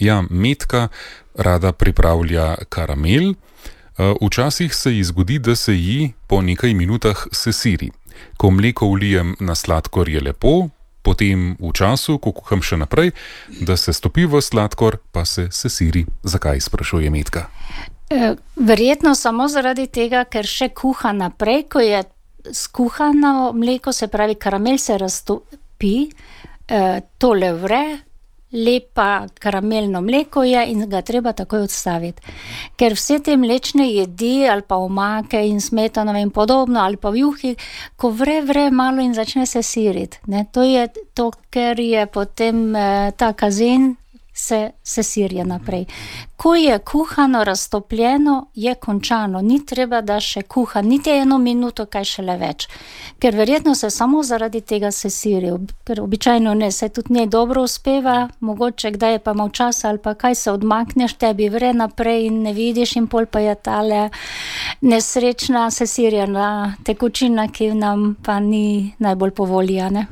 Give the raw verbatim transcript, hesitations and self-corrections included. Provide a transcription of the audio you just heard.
Ja, Metka rada pripravlja karamel. Včasih se ji zgodi, da se ji po nekaj minutah sesiri. Ko mleko vlijem na sladkor, je lepo, potem v času, ko kuham še naprej, da se stopi v sladkor, pa se sesiri. Zakaj, sprašuje Metka? Verjetno samo zaradi tega, ker še kuha naprej, ko je skuhano mleko, se pravi karamel se raztopi, tole vre, lepa karamelno mleko je in ga treba takoj odstaviti. Ker vse te mlečne jedi ali pa omake in smetano in podobno ali pa v juhi, ko vre, vre malo in začne se siriti. Ne? To je to, ker je potem eh, ta kazen se, se sirja naprej. Ko je kuhano, raztopljeno, je končano. Ni treba, da še kuha, niti eno minuto, kaj šele več. Ker verjetno se samo zaradi tega se siri, ker običajno ne, se tudi njej dobro uspeva, mogoče kdaj je pa malo časa ali pa kaj se odmakneš, tebi vre naprej in ne vidiš in pol pa je tale nesrečna se sirjena tekočina, ki nam pa ni najbolj po volji, ne?